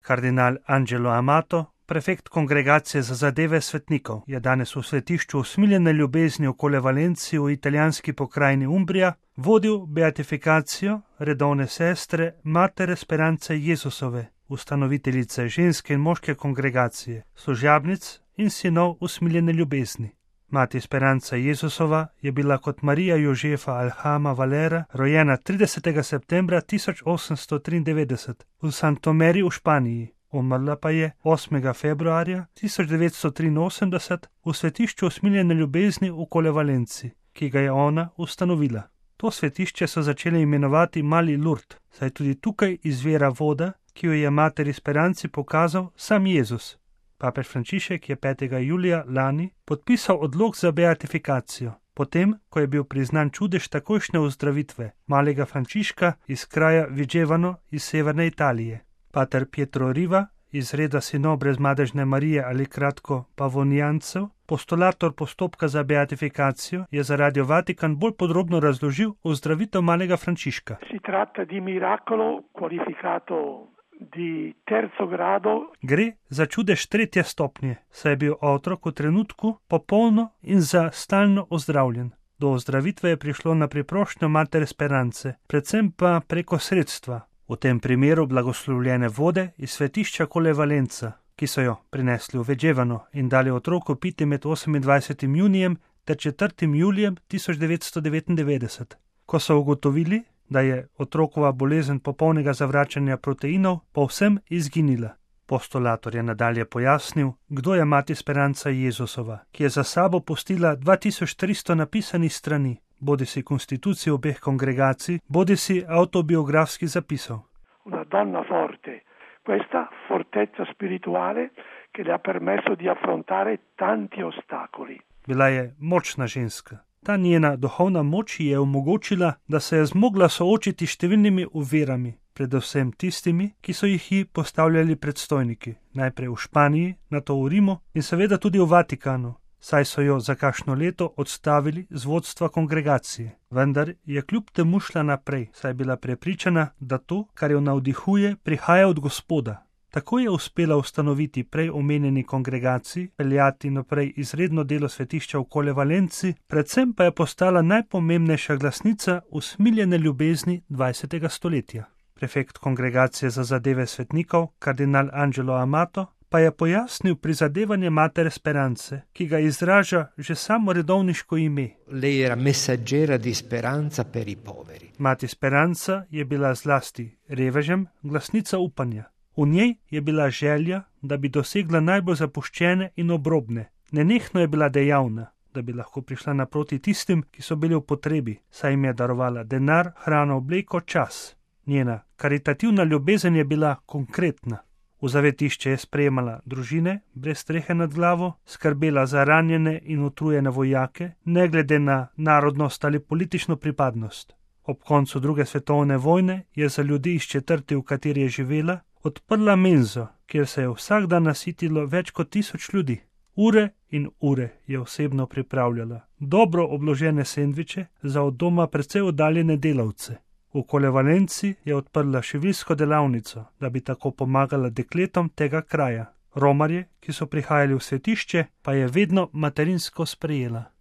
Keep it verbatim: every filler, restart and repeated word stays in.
Kardinal Angelo Amato, prefekt Kongregacije za zadeve svetnikov, je danes v svetišču usmiljene ljubezni okoli Valencije v italijanski pokrajini Umbrija vodil beatifikacijo redovne sestre Matere Speranze Jezusove, ustanoviteljice ženske in moške kongregacije, služabnic in sinov usmiljene ljubezni. Mati Speranza Jezusova je bila kot Marija Jožefa Alhama Valera rojena tridesetega septembra tisoč osemsto triindevetdeset v Santomeri v Španiji, umrla pa je osmega februarja tisoč devetsto triinosemdeset v svetišču usmiljene ljubezni okoli Valenci, ki ga je ona ustanovila. To svetišče so začeli imenovati Mali Lourdes, saj tudi tukaj izvira voda, ki jo je Materi Speranci pokazal sam Jezus. Papež Frančišek je petega julija lani podpisal odlok za beatifikacijo, potem, ko je bil priznan čudež takojšnje ozdravitve malega Frančiška iz kraja Vigevano iz severne Italije. Pater Pietro Riva iz reda sinov brezmadežne Marije ali kratko Pavonijancev, postulator postopka za beatifikacijo, je za Radio Vatikan bolj podrobno razložil ozdravitev malega Frančiška. Si tratta di miracolo qualificato di terzo grado. Gre za čudež tretje stopnje, saj je bil otrok v trenutku popolno in za stalno ozdravljen. Do ozdravitve je prišlo na priprošnjo Matere Speranze, predvsem pa preko sredstva, v tem primeru blagoslovljene vode iz svetišča Colle Valenza, ki so jo prinesli v Vigevano in dali otroku piti med osemindvajsetim junijem ter četrtim julijem tisoč devetsto devetindevetdeset. Ko so ugotovili, da je otrokova bolezen popolnega zavračanja proteinov povsem izginila. Postulator je nadalje pojasnil, kdo je Mati Speranza Jezusova, ki je za sabo pustila dva tisoč tristo napisanih strani, bodisi konstitucij obeh kongregacij, bodisi avtobiografskih zapisov. Una donna forte, questa fortezza spirituale che le ha permesso di affrontare tanti ostacoli. Bila je močna ženska. Ta njena duhovna moč je omogočila, da se je zmogla soočiti številnimi ovirami, predvsem tistimi, ki so jih ji postavljali predstojniki, najprej v Španiji, nato v Rimu in seveda tudi v Vatikanu, saj so jo za kakšno leto odstavili z vodstva kongregacije. Vendar je kljub temu šla naprej, saj je bila prepričana, da to, kar jo navdihuje, prihaja od Gospoda. Tako je uspela ustanoviti prej omenjeni kongregaciji, peljati naprej izredno delo svetišča v Colle Valenci, predvsem pa je postala najpomembnejša glasnica usmiljene ljubezni dvajsetega stoletja. Prefekt Kongregacije za zadeve svetnikov, kardinal Angelo Amato, pa je pojasnil prizadevanje Matere Speranze, ki ga izraža že samo redovniško ime. Lei era messaggera di speranza per i poveri. Mati Speranza je bila zlasti revežem glasnica upanja. V njej je bila želja, da bi dosegla najbolj zapuščene in obrobne. Nenehno je bila dejavna, da bi lahko prišla naproti tistim, ki so bili v potrebi, saj jim je darovala denar, hrano, obleko, čas. Njena karitativna ljubezen je bila konkretna. V zavetišče je sprejemala družine brez strehe nad glavo, skrbela za ranjene in utrujene vojake, ne glede na narodnost ali politično pripadnost. Ob koncu druge svetovne vojne je za ljudi iz četrti, v kateri je živela, odprla menzo, kjer se je vsak dan nasitilo več kot tisoč ljudi. Ure in ure je osebno pripravljala dobro obložene sendviče za od doma precej oddaljene delavce. V Colle Valenci je odprla šiviljsko delavnico, da bi tako pomagala dekletom tega kraja. Romarje, ki so prihajali v svetišče, pa je vedno materinsko sprejela.